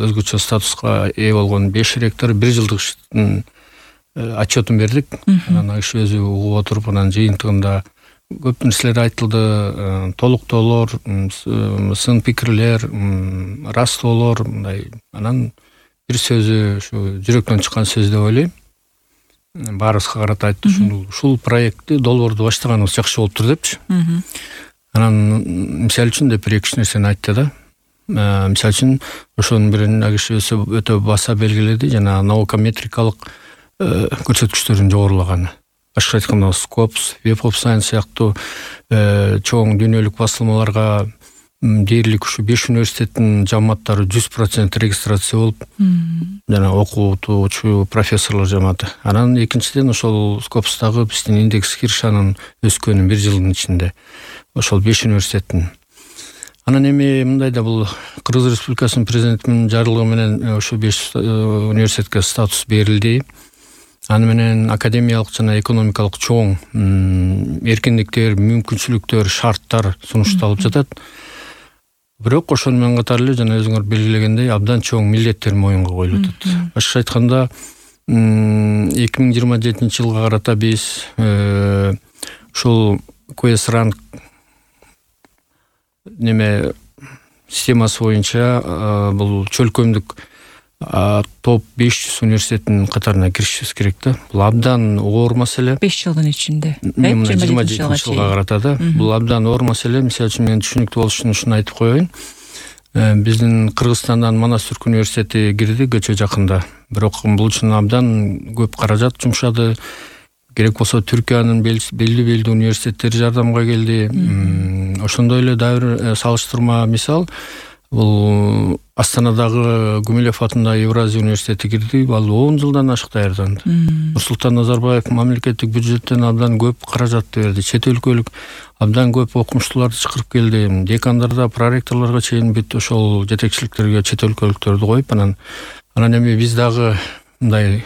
өзгөчө статуска ээ болгон 5 ректор 1 жылдык отчетун бердик. Анан иш өзү угуп отуруп, анан жыйынтыгында көп нерселер айтылды, толуктоолор, сын пикирлер, растоолор, мындай. Анан бир сөзү ушу жүрөктөн чыккан сөз деп ойлойм. Баарыбызга карата айтты, ушул проектти долбоорду баштаганыбыз жакшы болуптур депчи. Анан мисалы үчүн деп бир-эки нерсени айтты да. Мисалы үчүн ошонун бирин киши өтө баса белгиледи, жана наукометрикалык көрсөткүчтөрүн жогорулаганы. Башка айтканда Scopus, Web of Science сыяктуу чоң дүйнөлүк басылмаларга дээрлик ушу 5 университеттин жамааттары 100% регистрация болуп, жана окутуучу профессорлор жамааты. Анан экинчиден ошол Scopus'тагы биздин индекс киршанын өскөнү 1 жылдын ичинде. Ошол 5 университеттин. Анан эми мындай да, бул Кыргыз Республикасынын президентинин жарлыгы менен ошо 5 университетке статус берилди. Аны менен академиялык жана экономикалык чоң эркиндиктер, мүмкүнчүлүктөр, шарттар сунушталып жатат. Бирок ошону менен катар эле жана өзүңөр белгилегендей абдан чоң милдеттер моюнга коюлуп атат. Башкача айтканда 2027 жылга карата биз ушул QS Rank системасы боюнча бул чөлкөмдүк топ 500 университеттин катарына киришибиз керек да. Бул абдан оор маселе. 5 жылдын ичинде. 27 жылга карата да. Бул абдан оор маселе. Мисалы үчүн мен түшүнүктүү болуш үчүн ушуну айтып коеюн. Биздин Кыргызстандан Манас Түрк университети кирди көчө жакында. Бирок бул үчүн абдан көп каражат жумшады. Керек болсо Түркиянын белди университеттери жардамга келди. Ошондой эле дагы бир салыштырма мисал, бул Астанадагы Гумилев атындагы Евразия университети кирди. Ал 10 жылдан ашык даярданды. Нурсултан Назарбаев мамлекеттик бюджеттен абдан көп каражатты берди. Чет өлкөлүк абдан көп окумуштууларды чакырып келди. Декандарда, проректорлорго чейин бүт ошол жетекчиликтерге чет өлкөлүктөрдү коюп, анан эми биз дагы мындай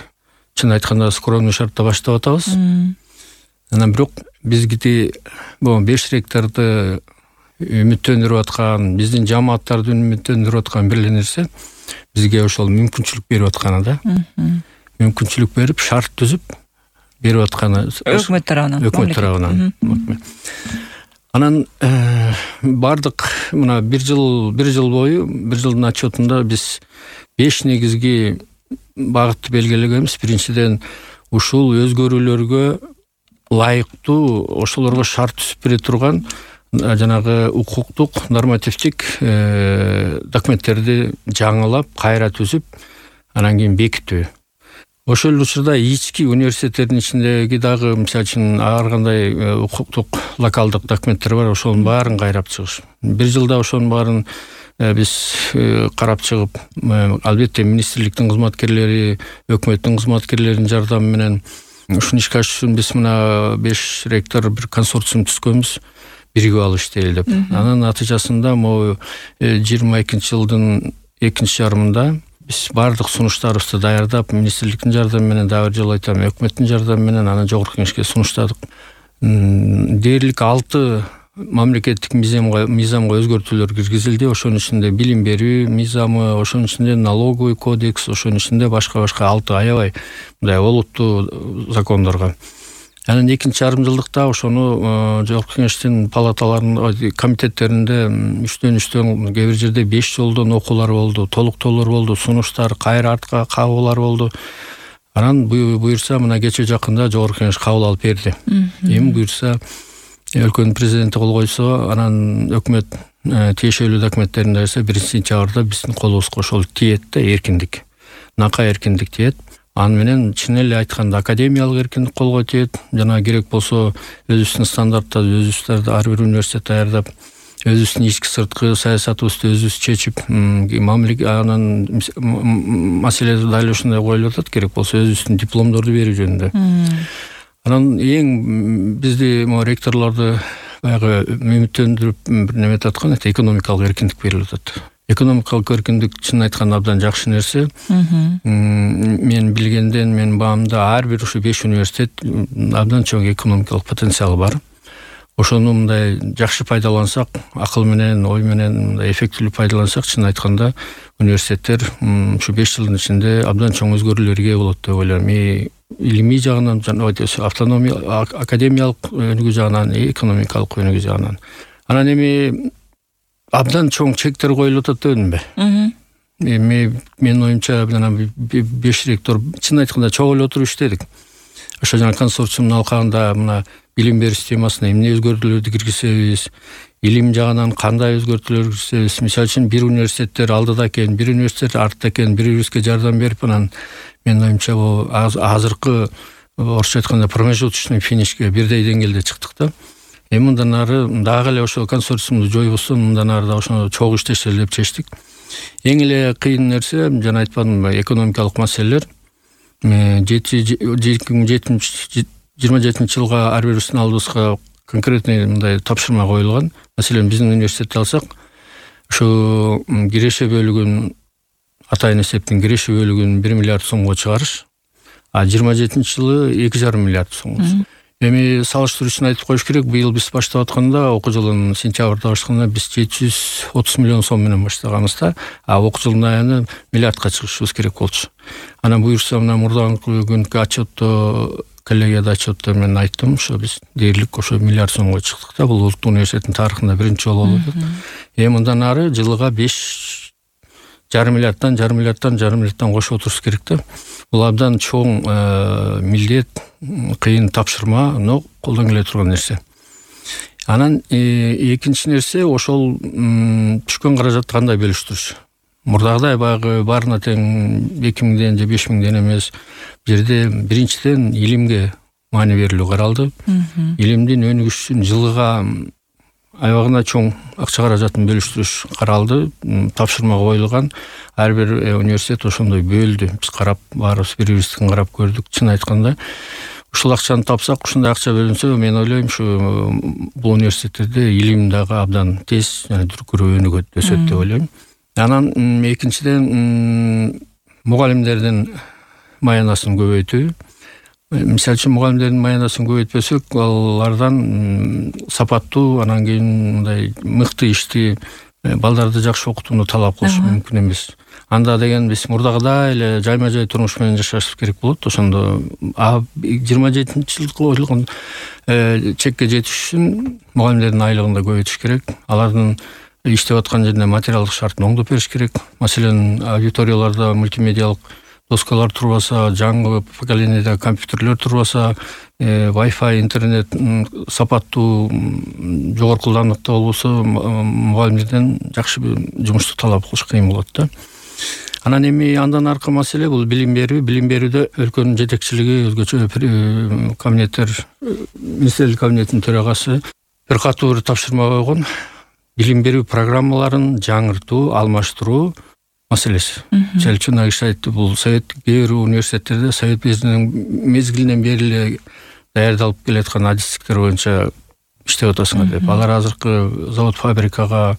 чын айтканда скромный шартта баштап атабыз. Анан бирок бизги бул 5 ректорду үмүттөндүрүп аткан, биздин жамааттарды үмүттөндүрүп аткан бир эле нерсе бизге ошол мүмкүнчүлүк берип атканы да. Мүмкүнчүлүк берип, шарт түзүп берип атканы өкмөт тарабынан. Анан бардык мына 1 жыл бою, 1 жылдын отчетунда биз 5 негизги багытты белгилегенбиз. Биринчиден, ушул өзгөрүүлөргө ылайыктуу, ошолорго шарт түзүп бере турган жанагы укуктук, нормативдик документтерди жаңылап, кайра түзүп, анан кийин бекитүү. Ошол учурда ички университеттердин ичиндеги дагы мисалы үчүн ар кандай укуктук, локалдык документтер бар, ошонун баарын кайрап чыгыш. 1 жылда ошонун баарын биз карап чыгып, албетте министрликтин кызматкерлери, өкмөттүн кызматкерлеринин жардамы менен ушуну ишке ашырыш үчүн биз мына 5 ректор бир консорциум түзгөнбүз, биригип алып иштейли деп. Анын натыйжасында могу 22 жылдын экинчи жарымында биз бардык сунуштарыбызды даярдап, министрликтин жардамы менен, дагы бир жолу айтам, өкмөттүн жардамы менен аны жогорку кеңешке сунуштадык. Дээрлик 6 мамлекеттик мыйзамга өзгөртүүлөр киргизилди. Ошонун ичинде билим берүү мыйзамы, ошонун ичинде налоговый кодекс, ошонун ичинде башка 6 аябай мындай олуттуу закондорго. Анан экинчи жарым жылдыкта ошону жогорку кеңештин палаталарынын комитеттеринде 3-3 кээ бир жерде 5 жолдон окуулар болду, толуктоолор болду, сунуштар, кайра артка кабылар болду. Анан буюрса мына кече жакында жогорку кеңеш кабыл алып берди. Эми буюрса өлкөнүн президенти кол койсо, анан өкмөт тиешелүү документтерин дайырса 1-сентябрда биздин колубузга ошол тиет да, эркиндик. Нака эркиндик тиет. Аны менен чын эле айтканда академиялык эркиндик колго тиет. Жана керек болсо өзүбүздүн стандарттарды өзүбүз ар бир университет даярдап, өзүбүздүн ички сырткы саясатыбызды өзүбүз чечип, анан маселе дал ушундай коюлуп атат, керек болсо өзүбүздүн дипломдорду берүү жөнүндө. Анан эң бизди ректорлорду баягы үмүттөндүрүп бир неме аткан, экономикалык эркиндик берилип атат. Экономикалык эркиндик чын айтканда абдан жакшы нерсе. Мен билгенден, менин баамда ар бир ушу 5 университет абдан чоң экономикалык потенциалы бар. ошону мындай жакшы пайдалансак, акыл менен, ой менен мындай эффектилүү пайдалансак, чын айтканда университеттер ушу 5 жылдын ичинде абдан чоң өзгөрүүлөргө ээ болот деп ойлойм. Илимий жагынан, автономия, академиялык өнүгүү жагынан, экономикалык өнүгүү жагынан. Анан эми абдан чоң чектер коюлуп атат дебедимби? Менин оюмча 5 ректор чын айтканда чогулуп отуруп иштедик. Ошо жана консорциумдун алкагында мына билим берүү системасына эмне өзгөртүүлөрдү киргизебиз, илим жагынан кандай өзгөртүүлөр киргизебиз. Мисалы үчүн бир университеттер алдыда экен, бир университет артта экен, бири-бирибизге жардам берип, анан менин оюмча бул азыркы орусча айтканда промежуточный финишке бирдей деңгээлде чыктык да. Эми мындан ары дагы эле ошо консорциумду жойбосо, мындан ары да ошону чогуу иштешели деп чечтик. Эң эле кыйын нерсе, жана айтпадымбы, экономикалык маселелер. 27 жылга ар бирибиздин алдыбызга конкретный мындай тапшырма коюлган. Маселен, биздин университетти алсак, ушу киреше бөлүгүн, атайын эсептин киреше бөлүгүн 1 миллиард сомго чыгарыш, а 27-жылы 2,5 миллиард сом. Эми салыштыруу үчүн айтып коюш керек, быйыл биз баштап атканда, окуу жылын сентябрда баштаганда биз 730 миллион сом менен баштаганбызда, а окуу жылдын аягында миллиардка чыгышыбыз керек болчу. Анан буюрса, мына мурдагы күнкү отчетто, коллегияда отчетто мен айттым, ошо биз дээрлик ошо миллиард сомго чыктык да. Бул улуттук университеттин тарыхында биринчи жолу болуп атат. Мындан ары жылыга 5,5 миллиардтан кошуп отурушубуз керек да. Бул абдан чоң милдет, кыйын тапшырма, но колдон келе турган нерсе. Анан экинчи нерсе, ошол түшкөн каражатты кандай бөлүштүрүш. Мурдагыдай баягы баарына тең 2000ден же 5000ден эмес, бул жерде биринчиден илимге маани берилүү каралды. Илимдин өнүгүшү үчүн жылыга аябагына чоң акча каражатын бөлүштүрүш каралды, тапшырма коюлган. Ар бир университет ошондой бөлдү. Биз карап, баарыбыз бири-бирибиздин карап көрдүк. Чын айтканда, ушул акчаны тапсак, ушундай акча бөлүнсө, мен ойлойм, ушу бул университеттерде илим дагы абдан тез жана дүркүрөө өнүгөт, өсөт деп ойлойм. Анан экинчиден мугалимдердин маянасын көбөйтүү. Мисалы үчүн мугалимдердин маянасын көбөйтпөсөк, алардан сапаттуу, анан кийин мындай мыкты ишти, балдарды жакшы окутууну талап кылыш мүмкүн эмес. Анда деген биз мурдагыдай эле жайма-жай турмуш менен жашашыбыз керек болот. Ошондо 27-жылга коюлган чекке жетиш үчүн мугалимдердин айлыгын да көбөйтүш керек. Алардын иштеп аткан жерине материалдык шартын оңдоп бериш керек. Маселен, аудиторияларда мультимедиалык доскалар турбаса, жаңы поколениеде компьютерлер турбаса, Wi-Fi, интернет сапаттуу, жогорку ылдамдыкта болбосо, мугалимдерден жакшы жумушту талап кылыш кыйын болот да. Анан эми андан аркы маселе бул билим берүү. Билим берүүдө өлкөнүн жетекчилиги, өзгөчө кабинеттер, министрлик кабинетинин төрагасы бир катуу бир тапшырма койгон. Билим берүү программаларын жаңыртуу, алмаштыруу маселеси. Мисалы үчүн киши айтты, бул совет кээ бир университеттерде совет мезгилинен бери эле даярдалып келаткан адистиктер боюнча иштеп атасыңар деп. Алар азыркы завод фабрикага,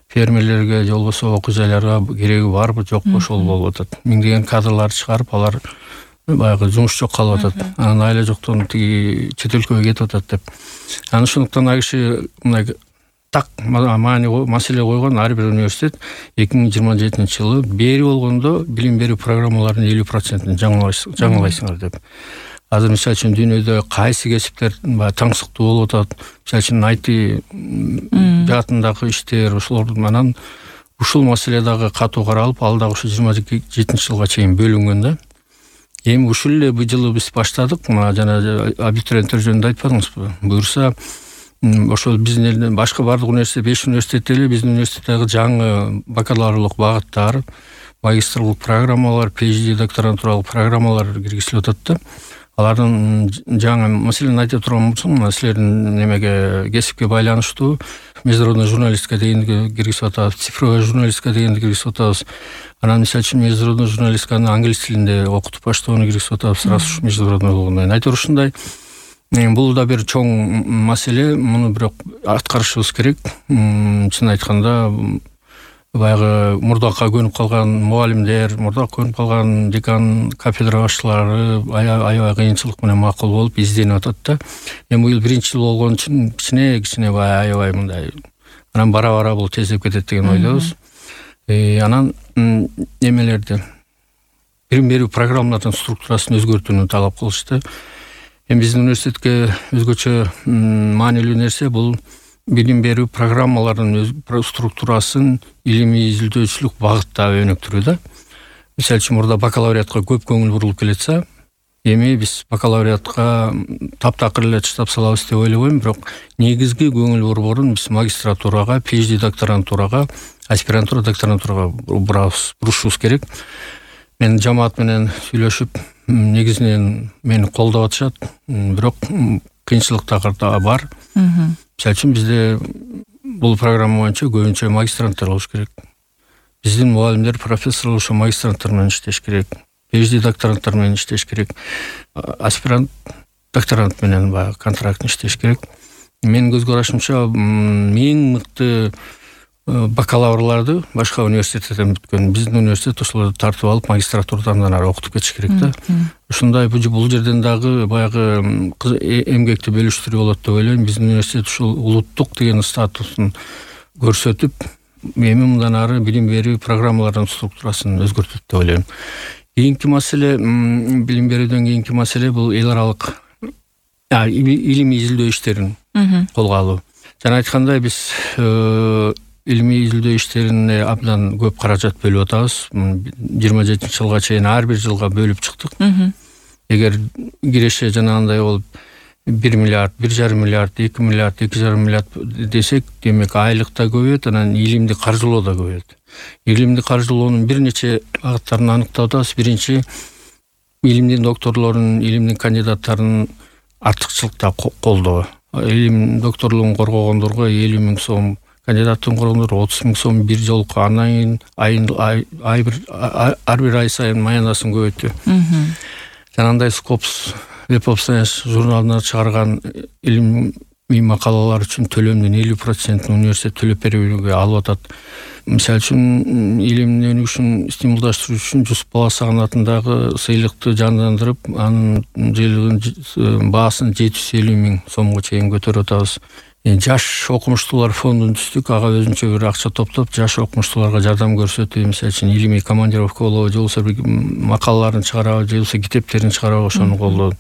фермерлерге же болбосо окуу жайларга кереги барбы жокпу, ошол болуп атат. Миңдеген кадрларды чыгарып, алар баягы жумуш жок калып атат. Анан айла жоктон тиги чет өлкөгө кетип атат деп. Анан ошондуктан киши мындай так маселе койгон, ар бир университет 2027-жылы бери болгондо билим берүү программаларынын 50%-ын жаңылайсыңар деп. Азыр мисалы үчүн дүйнөдө кайсы кесиптер таңсыктуу болуп атат, мисалы үчүн IT жаатындагы иштер, ошолордун анан ушул маселе дагы катуу каралып, ал дагы ушу 27-жылга чейин бөлүнгөн да. Эми ушул эле бул жылы биз баштадык. Жана абитуриенттер жөнүндө айтпадыңызбы? Буюрса, ошол биздин элден башка бардык университет, 5 университетте эле биздин университеттеги жаңы бакалаврлык багыттар, магистрлык программалар, PhD докторантуралык программалар киргизилип атат да. Алардын жаңы маселени айта турган болсом, силердин немеге, кесипке байланыштуу международная журналистика дегенди киргизип атабыз, цифровая журналистика дегенди киргизип атабыз. Анан мисалы үчүн международная журналистиканы англис тилинде окутуп баштоону киргизип атабыз, раз уж международный болгондон. Айтор ушундай. Бул да бир чоң маселе, муну бирок аткарышыбыз керек. Чын айтканда, баягы мурдакка көнүп калган мугалимдер, мурдакка көнүп калган декан, кафедра башчылары аябай кыйынчылык менен макул болуп изденип атат да. Эми быйыл биринчи жыл болгон үчүн кичине баягы аябай мындай анан бара бул тездеп кетет деген ойдобуз. Анан немелерди билим берүү программалардын структурасын өзгөртүүнү талап кылышты. Эми биздин университетке өзгөчө маанилүү нерсе бул билим берүү программаларынын структурасын илимий изилдөөчүлүк багытта өнүктүрүү да. Мисалы үчүн мурда бакалавриатка көп көңүл бурулуп келетсе, эми биз бакалавриатка таптакыр эле таштап салабыз деп ойлобойм, бирок негизги көңүл борборун биз магистратурага, PhD докторантурага, аспирантура, докторантурага бурушубуз керек. Мен жамаат менен сүйлөшүп, негизинен мени колдоп атышат, бирок кыйынчылыктар да бар. Мисалы үчүн бизде бул программа боюнча көбүнчө магистранттар болуш керек. Биздин мугалимдер, профессор ошо магистранттар менен иштеш керек. PhD докторанттар менен иштеш керек. Аспирант, докторант менен баягы контрактын иштеш керек. Менин көз карашымча эң мыкты бакалаврларды башка университеттерден бүткөн биздин университет ошолорду тартып алып магистратурадан ары окутуп кетиш керек да. Ушундай бул жерден дагы баягы эмгекти бөлүштүрүү болот деп ойлойм. Биздин университет ушул улуттук деген статусун көрсөтүп, эми мындан ары билим берүү программаларынын структурасын өзгөртөт деп ойлойм. Кийинки маселе, билим берүүдөн кийинки маселе бул эл аралык илимий изилдөө иштерин колго алуу. Жана айткандай биз илимий изилдөө иштерине абдан көп каражат бөлүп атабыз. 27-жылга чейин ар бир жылга бөлүп чыктык. Эгер киреше жанагындай болуп 1 миллиард, 1,5 миллиард, 2 миллиард, 2,5 миллиард десек, демек айлык да көбөйөт, анан илимди каржылоо да көбөйөт. Илимди каржылоонун бир нече багыттарын аныктап атабыз. Биринчи, илимдин докторлорунун, илимдин кандидаттарынын артыкчылыкта колдоо. Илим докторлугун коргогондорго 50 000 сом, кандидаттын коргондорго 30 000 сом бир жолку, анан ар бир ай сайын маянасын көбөйтүү. Жанагындай Scopus Web of Science журналына чыгарган илимий макалалар үчүн төлөмдүн 50% университет төлөп берүүгө алып атат. Мисалы үчүн илимдин өнүгүшүн стимулдаштыруу үчүн Жусуп Баласаган атындагы сыйлыкты жандандырып, анын жылдын баасын 750 000 сомго чейин көтөрүп атабыз. Жаш окумуштуулар фондун түздүк, ага өзүнчө бир акча топтоп, жаш окумуштууларга жардам көрсөтүү, мисалы үчүн илимий командировка болобу, же болбосо бир макалаларын чыгарабы, же болбосо китептерин чыгарабы, ошону колдоо.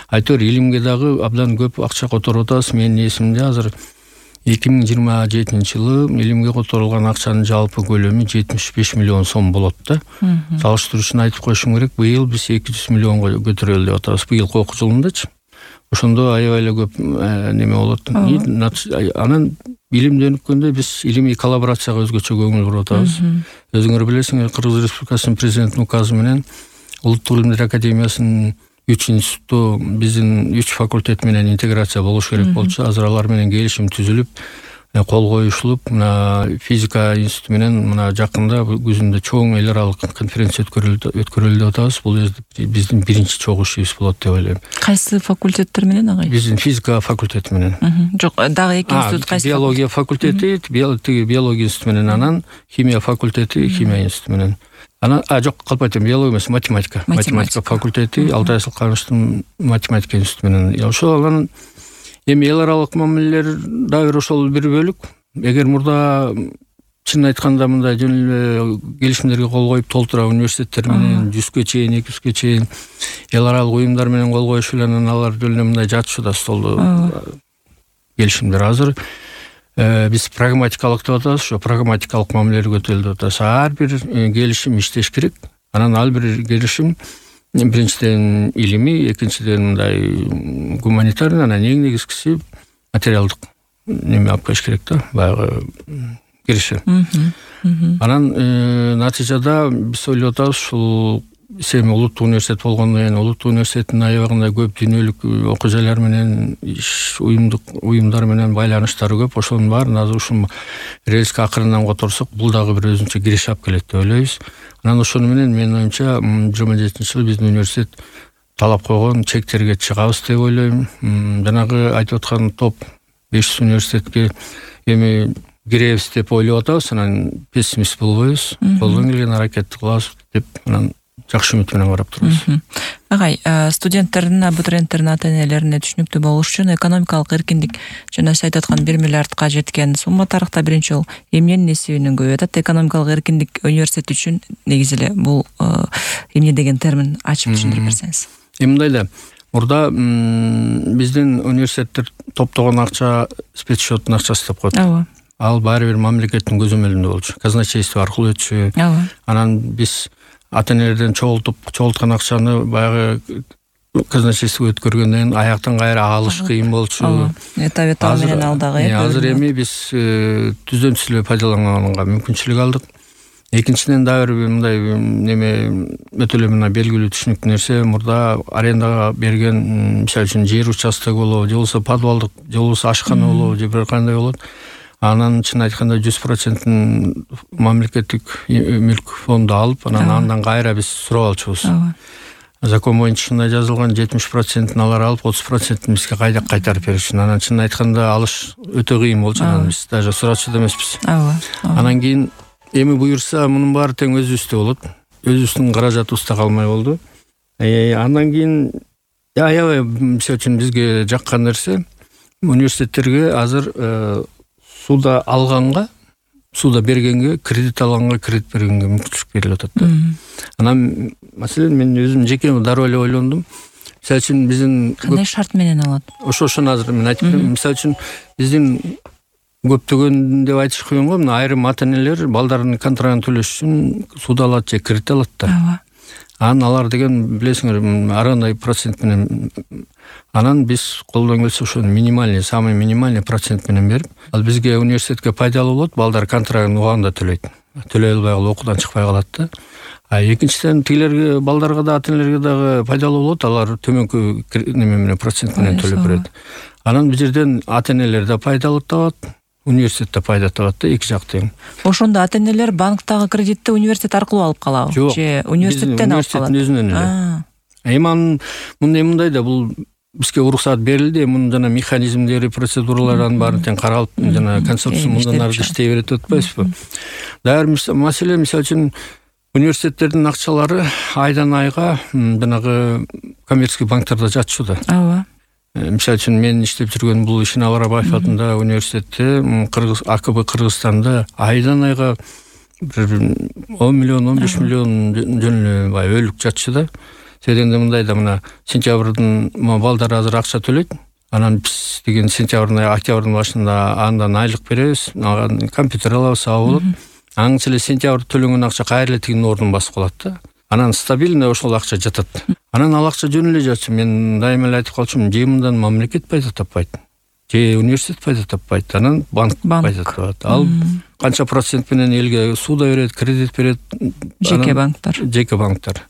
Айтор илимге дагы абдан көп акча которуп атабыз. Менин эсимде азыр 2027-жылы илимге которулган акчанын жалпы көлөмү 75 миллион сом болот да. Салыштыруу үчүн айтып коюшум керек, быйыл биз 200 миллионго көтөрөлү деп атабыз. Быйылкы окуу жылындачы. Ошондо аябай эле көп неме болот. Анан билимди өнүккөндө биз илимий коллаборацияга өзгөчө көңүл буруп атабыз. Өзүңөр билесиңер, Кыргыз Республикасынын президентинин указы менен Улуттук илимдер академиясынын 3 институту биздин 3 факультет менен интеграция болуш керек болчу. Азыр алар менен келишим түзүлүп, кол коюшулуп, мына физика институту менен мына жакында күзүндө чоң эл аралык конференция өткөрөлү деп атабыз. Бул биздин биринчи чогуу ишибиз болот деп ойлойм. Кайсы факультеттер менен агай? Биздин физика факультети менен. Жок, дагы эки институт кайсы? Биология факультети, биология институту менен, анан химия факультети, химия институту менен. Анан жок, калп айтам, биология эмес, математика. Математика факультети, Алтай Асылкановичтин математика институту менен. Ошол анан эми эл аралык мамилелер дагы ошол бир бөлүк. Эгер мурда чын айтканда мындай жөн эле келишимдерге кол коюп толтура университеттер менен 100гө чейин, 200гө чейин эл аралык уюмдар менен кол коюшу эле, анан алар жөн эле мындай жатышууда столдо келишимдер. Азыр биз прагматикалык деп атабыз, ошо прагматикалык мамилелер көтөрүлүп атабыз. Ар бир келишим иштеш керек. Анан ал бир келишим биринчиден илимий, экинчиден мындай гуманитарный, анан эң негизгиси материалдык неме алып келиш керек да, баягы киреше. Анан натыйжада биз ойлоп атабыз, ушул эми улуттук университет болгондон кийин улуттук университеттин аябагында көп дүйнөлүк окуу жайлар менен, уюмдар менен байланыштары көп. Ошонун баарын азыр ушул рельске акырындан которсок, бул дагы бир өзүнчө киреш алып келет деп ойлойбуз. Анан ошону менен менин оюмча 27-жылы биздин университет талап койгон чектерге чыгабыз деп ойлойм. Жанагы айтып аткан топ 500 университетке эми киребиз деп ойлоп атабыз, анан пессимист болбойбуз, колдон келген аракетти кылабыз деп анан жакшы үмүт менен карап турабыз. Агай, студенттердин, абитуриенттердин ата-энелерине түшүнүктүү болуш үчүн экономикалык эркиндик жана сиз айтып аткан 1 миллиардка жеткен сумма тарыхта биринчи жолу эмненин эсебинен көбөйүп атат? Экономикалык эркиндик университет үчүн негизи эле бул эмне деген термин ачып түшүндүрүп берсеңиз. Мындай да, мурда биздин университеттер топтогон акча спецсчеттун акчасы деп коет. Ооба. Ал баары бир мамлекеттин көзөмөлүндө болчу. Казначейство аркылуу өтчү. Анан биз ата-энелерден чогулткан акчаны баягы казначействого өткөргөндөн аяктан кайра алыш кыйын болчу. Этап менен алдагы. Азыр эми биз түздөн-түз эле пайдаланганга мүмкүнчүлүк алдык. Экинчиден дагы бир мындай өтө эле мына белгилүү түшүнүктүү нерсе, мурда арендага берген, мисалы үчүн жер участок болобу, же болбосо подвалдык, же болбосо ашкана болобу, же бир кандай болот. Анан чын айтканда 100% мамлекеттик мүлк фонду алып, андан кайра биз сурап алчубуз. Закон боюнча ушундай жазылган, 70% алар алып, 30% бизге кайтарып беришин. Анан чын айтканда алыш өтө кыйын болчу, анан биз даже сурачу да эмеспиз. Анан кийин эми буюрса мунун баары тең өзүбүздө болот. Өзүбүздүн каражатыбызда калмай болду. Андан кийин аябай мисалы үчүн бизге жаккан нерсе, университеттерге азыр суда алганга, суда бергенге, кредит алганга, кредит бергенге мүмкүнчүлүк берилип атат да. Анан маселен мен өзүм жеке дароо эле ойлондум. Мисалы үчүн биздин кандай шарт менен алат? Ошону азыр мен айтып берем. Мисалы үчүн биздин көптөгөн деп айтыш кыйын го, мына айрым ата-энелер балдарынын контрагын төлөш үчүн суда алат же кредит алат да. Анан алар деген билесиңер, ар кандай процент менен. Анан биз колдон келсе ошо минимальный, самый минимальный процент менен берип, ал бизге университетке пайдалуу болот, балдар контрагын убагында төлөйт. Төлөй албай калып окуудан чыкпай калат да. Экинчиден тигилерге, балдарга да, ата-энелерге дагы пайдалуу болот, алар төмөнкү неме менен процент менен төлөп берет. Анан бул жерден ата-энелер да пайда табат, университет да пайда табат да, эки жак тең. Ошондо ата-энелер банктагы кредитти университет аркылуу алып калабы? Же университеттен алып калат? Университеттин өзүнөн эле. Эми мындай да, бул бизге уруксат берилди, мунун жана механизмдери, процедураларын баарын тең каралып, жана концепция мындан ары иштей берет деп атпайсызбы? Дагы маселе, мисалы үчүн университеттердин акчалары айдан айга жанагы коммерческий банктарда жатчу да. Ооба. Мисалы үчүн мен иштеп жүргөн бул Ишин Абарабаев атындагы университетте, АКБ Кыргызстанда айдан айга 10 миллион, 15 миллион жөн эле өлүк жатчу да. Себебинде мындай да, мына сентябрдын балдар азыр акча төлөйт. Анан биз деген сентябрдын, октябрдын башында андан айлык беребиз, компьютер алабыз, болот. Аңчы эле сентябрда төлөнгөн акча кайра эле тигинин ордун басып калат да. Анан стабильно ошол акча жатат. Анан ал акча жөн эле жатчу. Мен дайыма эле айтып калчумун, же мындан мамлекет пайда таппайт, же университет пайда таппайт, анан банк пайда табат. Ал канча процент менен элге суда берет, кредит берет, жеке банктар.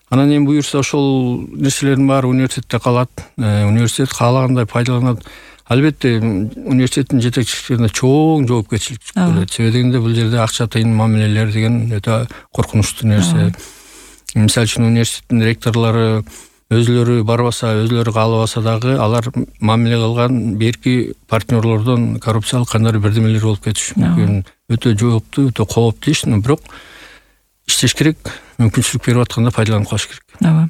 Анан эми буюрса ошол нерселердин баары университетте калат. Университет каалагандай пайдаланат. Албетте университеттин жетекчиликтерине чоң жоопкерчилик болот. Себеби дегенде бул жерде акча тыйын мамилелер деген өтө коркунучтуу нерсе. Мисалы үчүн университеттин ректорлору өзүлөрү барбаса, өзүлөрү каалабаса дагы алар мамиле кылган берки партнерлордон коррупциялык кандайдыр бирдемелер болуп кетиши мүмкүн. Өтө жооптуу, өтө кооптуу иш, бирок иштеш керек, мүмкүнчүлүк берип атканда пайдаланып калыш керек. Ооба.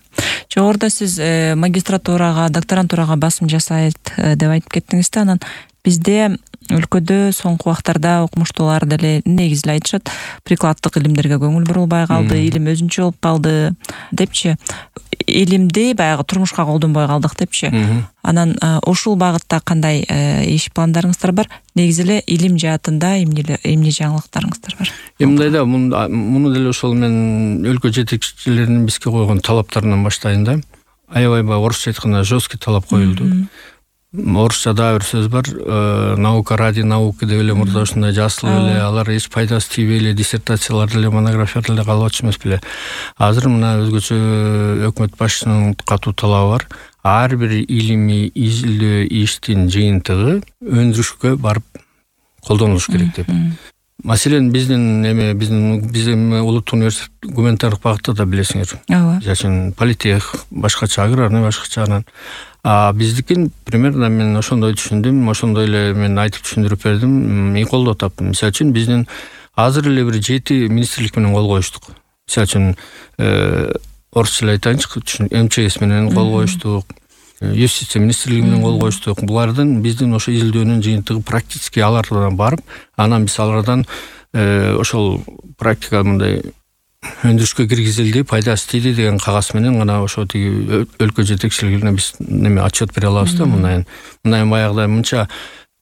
Жогоруда сиз магистратурага, докторантурага басым жасайт деп айтып кеттиңиз да, анан бизде өлкөдө соңку убактарда окумуштуулар деле негизи эле айтышат, прикладдык илимдерге көңүл бурулбай калды, илим өзүнчө болуп калды депчи. Илимди баягы турмушка колдонбой калдык депчи. Анан ушул багытта кандай иш пландарыңыздар бар? Негизи эле илим жаатында эмне жаңылыктарыңыздар бар? Мындай да, муну деле ошол мен өлкө жетекчилеринин бизге койгон талаптарынан баштайын да. Аябай орусча айтканда жесткий талап коюлду. Орусчада бир сөз бар, наука ради науки деп эле мурда ушундай жазылып эле, алар эч пайдасы тийбей эле диссертациялар деле, монографиялар деле калып атчу эмес беле. Азыр мына өзгөчө өкмөт башчысынын катуу талабы бар. Ар бир илимий изилдөө иштин жыйынтыгы өндүрүшкө барып колдонулуш керек деп. Маселен биздин улуттук университет гуманитардык багытта да билесиңер. Ооба. Жашын политех башкача, аграрный башкача анан. Биздикин примерно мен ошондой түшүндүм, ошондой эле мен айтып түшүндүрүп бердим, колдоо таптым. Мисалы үчүн биздин азыр эле бир 7 министрлик менен кол коюштук. Мисалы үчүн орусча эле айтайынчы, МЧС менен кол коюштук, юстиция министрлиги менен кол коюштук. Булардын биздин ошо изилдөөнүн жыйынтыгы практически алардан барып, анан биз алардан ошол практика мындай өндүрүшкө киргизилди, пайдасы тийди деген кагаз менен гана ошо тиги өлкө жетекчилигине биз отчет бере алабыз да. Мындай баягыдай мынча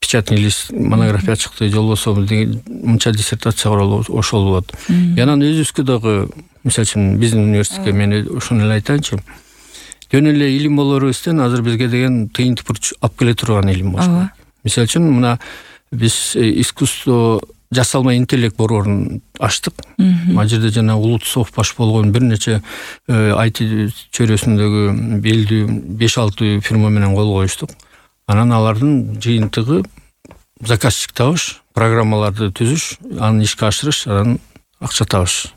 печатный лист монография чыкты, же болбосо мынча диссертация королду, ошол болот. Анан өзүбүзгө дагы, мисалы үчүн биздин университетке мен ошону эле айтайынчы, жөн эле илим болорубузден азыр бизге деген тыйын тыпыр алып келе турган илим болуш. Мисалы үчүн мына биз искусство жасалмай интеллект борборун ачтык. Ал жерде жана улутсов баш болгон бир нече IT чөйрөсүндөгү белдүү 5-6 фирма менен кол коюштук. Анан алардын жыйынтыгы заказчик табыш, программаларды түзүш, аны ишке ашырыш, анан акча табыш.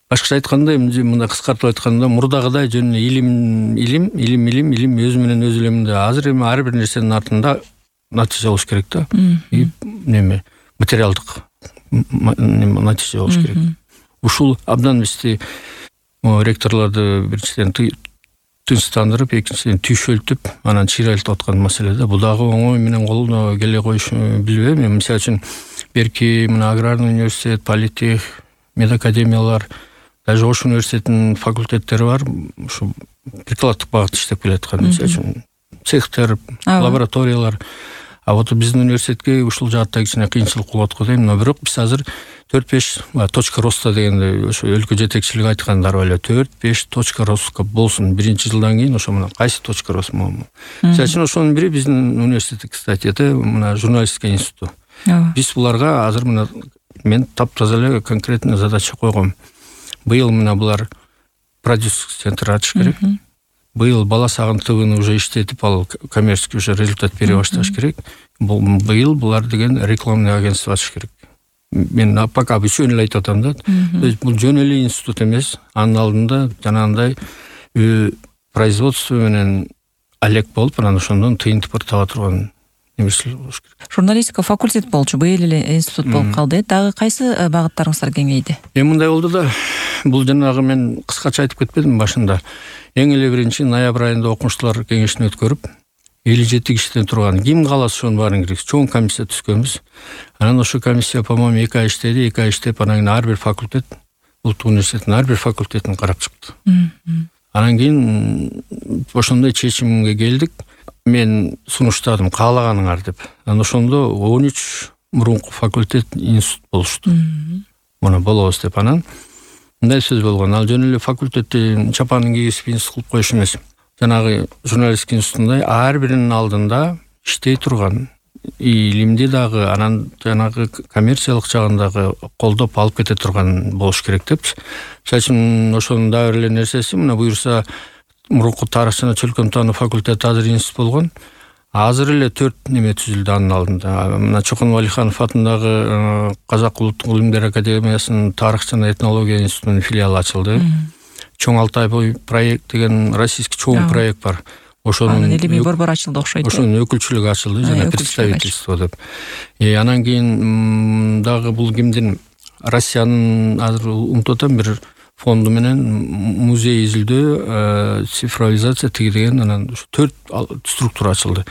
Башкача айтканда, мындай кыскартып айтканда, мурдагыдай жөн илим өзү менен өзү эле. Азыр эми ар бир нерсенин артында натыйжа болуш керек да. Материалдык натыйжа болуш керек. Ушул абдан бизди ректорлорду биринчиден тынчтандырып, экинчиден түйшөлтүп, анан чыйрайтып аткан маселе да. Бул дагы оңой менен колуна келе коюш билбейм. Мисалы үчүн берки мына аграрный университет, политех, медакадемиялар, даже Ош университетинин факультеттери бар, ушу прикладдык багытта иштеп келаткан. Мисалы үчүн цехтер, лабораториялар. А вот биздин университетке ушул жаатта кичине кыйынчылык болот го дейм. Но бирок биз азыр 4-5 точка роста дегенде ошо өлкө жетекчилиги айткандар эле 4-5 точка роста болсун. Биринчи жылдан кийин ошо мына кайсы точка рост болму. Мисалы үчүн ошонун бири биздин университет, кстати, мына журналистика институту. Биз буларга азыр мына мен таптаза эле конкретный задача койгом. Быйыл мына булар продюсерский центр ачыш керек. Быйыл бала сагын ТВны уже иштетип, ал коммерческий уже результат бере башташ керек. Быйыл булар деген рекламный агентство ачыш керек. Мен пока үчөөнү эле айтып атам да. То есть бул жөн эле институт эмес. Анын алдында жанагындай производство менен алек болуп, анан ошондон тыйын тыпыр таба турган нерселер болуш керек. Журналистика факультет болчу, быйыл эле институт болуп калды. Дагы кайсы багыттарыңыздар кеңейди? Мындай болду да. Бул жанагы мен кыскача айтып кетпедимби башында. Эң эле биринчи ноябрь айында окумуштуулар кеңешин өткөрүп, 57 кишиден турган ким кааласа ошонун баарын киргиз, чоң комиссия түзгөнбүз. Анан ошо комиссия, по-моему, 2 ай иштеди, 2 ай иштеп, анан кийин ар бир факультет, улуттук университеттин ар бир факультетин карап чыкты. Анан кийин ошондой чечимге келдик. Мен сунуштадым, каалаганыңар деп. Анан ошондо 13 мурунку факультет, институт болушту. Муну болобуз деп. Анан мындай сөз болгон. Ал жөн эле факультетти чапанын кийгизип институт кылып коюш эмес. Жанагы журналистика институтундай ар биринин алдында иштей турган, илимди дагы, анан жанагы коммерциялык жагын дагы колдоп алып кете турган болуш керек депчи. Мисалы үчүн ошонун дагы эле нерсеси, мына буюрса мурунку тарых жана чөлкөм таануу факультети азыр институт болгон. Азыр эле 4 неме түзүлдү анын алдында. Мына Чокон Валиханов атындагы Казак улуттук илимдер академиясынын тарых жана этнология институтунун филиалы ачылды. Чоң Алтай проект деген российский чоң проект бар. Ошонун илимий борбор ачылды окшойт. Ошонун өкүлчүлүгү ачылды жана представительство деп. Анан кийин дагы бул кимдин, Россиянын азыр унутуп атам бир фонду менен музей изилдөө, цифровизация тиги деген анан 4 структура ачылды.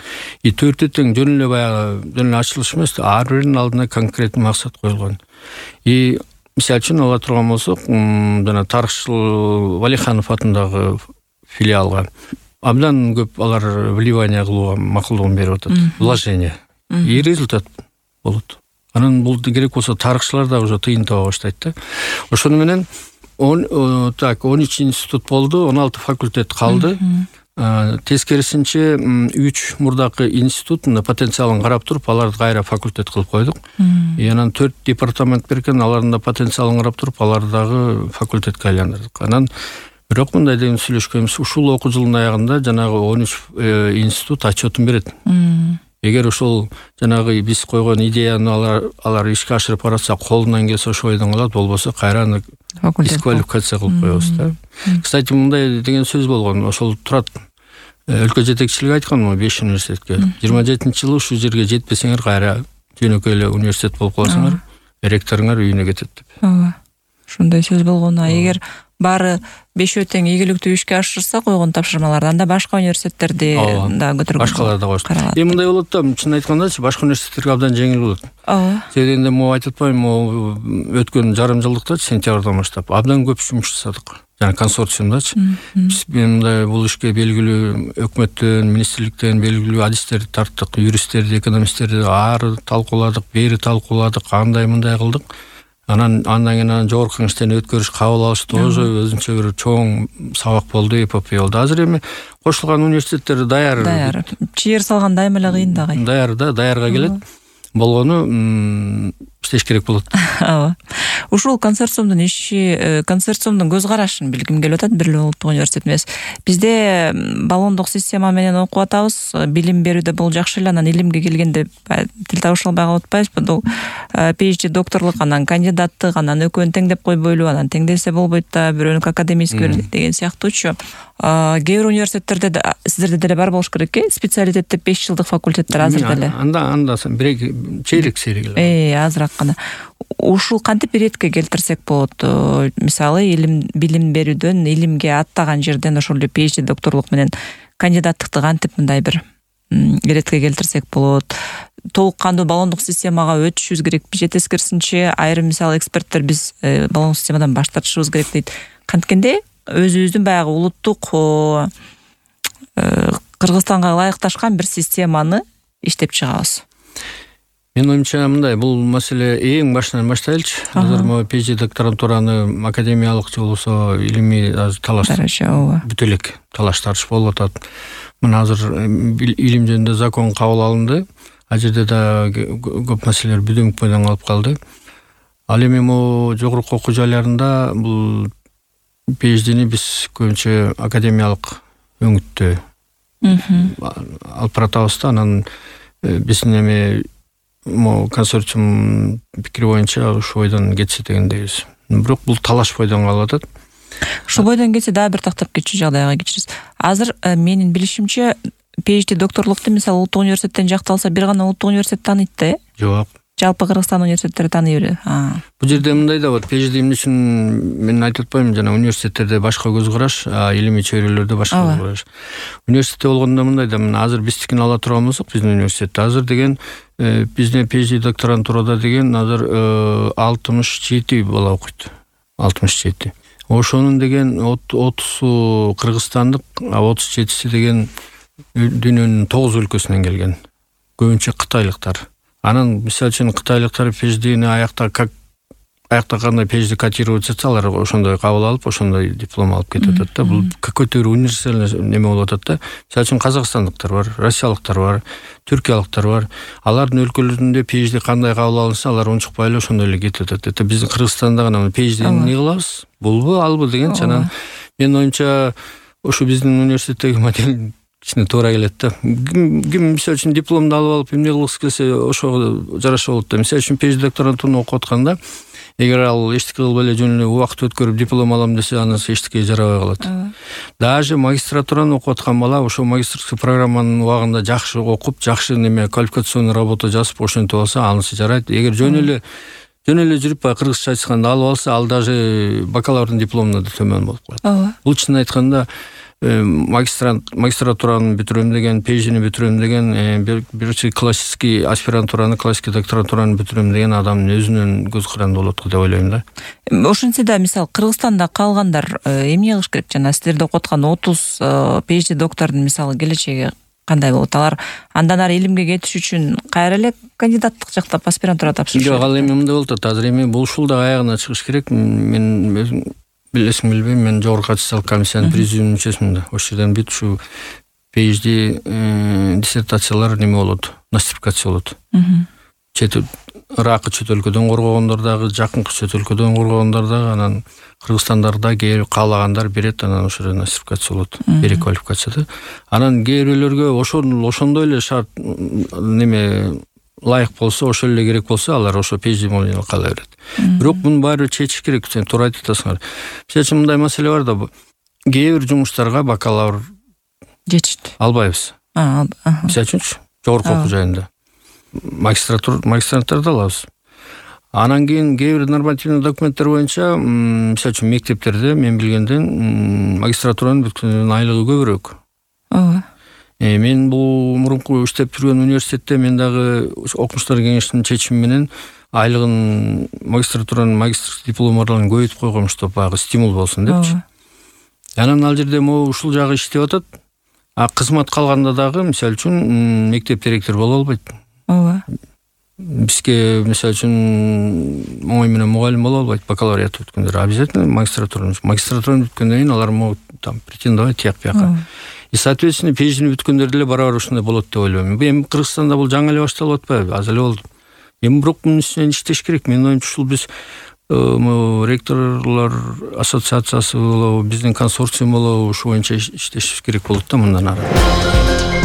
4 тең жөн эле баягы жөн эле ачылыш эмес, ар биринин алдына конкретный максат коюлган. Мисалы үчүн ала турган болсок, жана тарыхчыл Валиханов атындагы филиалга абдан көп алар вливание кылууга макулдугун берип атат. Вложение. И результат болот. Анан бул керек болсо тарыхчылар да уже тыйын таба баштайт да. Ошону менен 13 институт болду, 16 факультет калды. Тескерисинче 3 мурдакы институттун потенциалын карап туруп, аларды кайра факультет кылып койдук. Анан 4 департамент беркен, алардын да потенциалын карап туруп, аларды дагы факультетке айландырдык. Анан бирок мындай деген сүйлөшкөнбүз, ушул окуу жылынын аягында жанагы 13 институт отчетун берет. эгер ошол жанагы биз койгон идеяны алар ишке ашырып баратса, колунан келсе ошо бойдон алат, болбосо кайра дисквалификация кылып коебуз да. Кстати, мындай деген сөз болгон, ошол турат. Өлкө жетекчилиги айткан 5 университетке. 27-жылы ушул жерге жетпесеңер кайра жөнөкөй эле университет болуп каласыңар, ректоруңар үйүнө кетет деп. Ооба. Ушундай сөз болгон. Эгер баары 5 тең ийгиликтүү ишке ашырса койгон тапшырмаларды, анда башка университеттерди да көтөргөн. Башкалар да коюш. Мындай болот да, чын айткандачы, башка университеттерге абдан жеңил болот. Ооба. Себебинде айтып атпаймынбы, өткөн жарым жылдыкта сентябрдан баштап абдан көп жұмыс жасадык. Жана консорциумдачы. Биз мындай бул ишке белгилүү өкмөттөн, министрликтен белгилүү адистерди тарттык, юристтерди, экономисттерди ары талкууладык, бери талкууладык, андай мындай кылдык. Андан кийин жогорку кеңештен өткөрүш кабыл алыш тоже өзүнчө бир чоң сабак болду, эпопея болду. Азыр эми кошулган университеттер даяр. Чыйыр салганда эми эле кыйын да. Даяр да, даярга келет. Болгону иштеш керек болот. Ооба. Ушул консорциумдун иши, консорциумдун көз карашын билгим келип атат. Бир эле улуттук университет эмес. Бизде баллондук система менен окуп атабыз. Билим берүүдө бул жакшы эле, анан илимге келгенде тил табыша албай калып атпайбызбы? Бул PhD докторлук, анан кандидаттык, анан экөөнү теңдеп койбойлу, анан теңдесе болбойт да, бирөөнүкү академический деген сыяктуучу. Кээ бир университеттерде сиздерде деле бар болуш керек, специалитетте 5 жылдык факультеттер азыр деле. Анда чейрек эле. Азыраак гана. Ушул кантип иретке келтирсек болот? Мисалы, билим берүүдөн, илимге аттаган жерден ошол эле PhD докторлук менен кандидаттыкты кантип мындай бир иретке келтирсек болот? Толук кандуу баллондук системага өтүшүбүз керекпи же тескерисинче айрым мисалы эксперттер биз баллондук системадан баш тартышыбыз керек дейт. Канткенде өзүбүздүн баягы улуттук Кыргызстанга ылайыкташкан бир системаны иштеп чыгабыз. Мен оюмча мындай, бул маселе эң башынан баштайлычы. Азыр могу PhD докторантураны академиялык же болбосо илимий талаш бүтө элек талаш тартыш болуп атат. Мына азыр илим жөнүндө закон кабыл алынды. Ал жерде да көп маселелер бүдөңк бойдон калып калды. Ал эми могу жогорку окуу жайларында бул PhD'ни биз көбүнчө академиялык өңүттө алып баратабыз да, анан биздин эми консорциум пикири боюнча ушул бойдон кетсе дегендейбиз. Бирок бул талаш бойдон калып атат. Ушул бойдон кетсе да бир тактап кетчү жагдайга кечирибиз. Азыр менин билишимче PhD докторлукту мисалы улуттук университеттен жакталса бир гана улуттук университет тааныйт да? Жок. Жалпы Кыргызстан университеттери тааный берет. Бул жерде мындай да бар. PhD эмне үчүн мен айтып атпаймынбы, жана университеттерде башка көз караш, илимий чөйрөлөрдө башка көз караш. Университетте болгондо мындай да, мына азыр биздикин ала турган болсок, биздин университетте азыр деген биздин PhD докторантурада деген азыр 67 бала окуйт. 67. Ошонун деген 30 кыргызстандык, 37си деген дүйнөнүн 9 өлкөсүнөн келген. Көбүнчө кытайлыктар. Анан мисалы үчүн кытайлыктар PhD'ни кандай PhD котировать этсе, алар ошондой кабыл алып, ошондой диплом алып кетип атат да. Бул какой-то универсальный неме болуп атат да. Мисалы үчүн казакстандыктар бар, россиялыктар бар, түркиялыктар бар. Алардын өлкөлөрүндө PhD кандай кабыл алынса, алар унчукпай эле ошондой эле кетип атат. Это биздин Кыргызстанда гана PhD'ни эмне кылабыз? Булбу, албы деген чанан. Мен оюмча ошо биздин университеттеги модель кичине туура келет да. Ким мисалы үчүн дипломду алып эмне кылгысы келсе, ошого жараша болот да. Мисалы үчүн PhD докторантураны окуп атканда, эгер ал эчтеке кылбай эле жөн эле убакыт өткөрүп диплом алам десе, анан эчтеке жарабай калат. Даже магистратураны окуп аткан бала ошо магистрский программанын убагында жакшы окуп, жакшы неме квалификационный работа жазып, ошентип алса, анысы жарайт. Эгер жөн эле жүрүп кыргызча айтканда алып алса, ал даже бакалаврдын дипломунан да төмөн болуп калат. Бул чын айтканда магистратураны бүтүрөм деген, PhD'ни бүтүрөм деген, биринчи классический аспирантураны, классический докторантураны бүтүрөм деген адамдын өзүнүн көз каранды болот деп ойлойм да. Ошентсе да, мисалы Кыргызстанда калгандар эмне кылыш керек? Жана силерде окуп аткан 30 PhD доктордун мисалы келечеги кандай болот? Алар андан ары илимге кетиш үчүн кайра эле кандидаттык жактап аспирантура тапшырыш? Жок, ал эми мындай болуп атат. Азыр эми бул ушул да аягына чыгыш керек. Мен билесиң билбейм, мен жогорку аттестациялык комиссиянын президиум мүчөсүмүн да. Ошол жерден бүт ушу PhD диссертациялар неме болот, нострификация болот. ыракы чөт өлкөдөн коргогондор дагы, жакынкы чөт өлкөдөн коргогондор дагы, анан кыргызстандарда келип каалагандар берет, анан ошо жерде носификация болот, переквалификация. Анан кээ бирөөлөргө ошондой эле шарт неме лайык болсо, ошол эле керек болсо, алар ошо PhD кала берет. Бирок мунун баары чечиш керек. Сен туура айтып атасыңар. Мисалы мындай маселе бар да, кээ бир жумуштарга бакалавр жетиштүү албайбыз. Мисалы үчүнчү, жогорку окуу жайында магистранттарды алабыз. Анан кийин кээ бир нормативный документтер боюнча, мисалы үчүн мектептерде мен билгенден магистратуранын бүткөндүн айлыгы көбүрөөк. Мен бул мурунку иштеп жүргөн университетте мен дагы окумуштар кеңешинин чечими менен айлыгын магистратуранын магистрский дипломдорун көбөйтүп койгом, чтобы баягы стимул болсун депчи. Анан ал жерде могу ушул жагы иштеп атат. Кызмат калганда дагы мисалы үчүн мектеп директору боло албайт. Бизге мисалы үчүн оңой менен мугалим боло албайт, бакалавриат бүткөндөр. Обязательно магистратураны бүткөндөн кийин алар могут там претендовать тияк бияка. И соответственно PhD бүткөндөр деле барабар ушундай болот деп ойлойм. Эми Кыргызстанда бул жаңы эле башталып атпайбы? Аз эле болду. Эми бирок мунун үстүнөн иштеш керек. Менин оюмча ушул биз ректорлор ассоциациясы болобу, биздин консорциум болобу, ушу боюнча иштешибиз керек болот да мындан ары.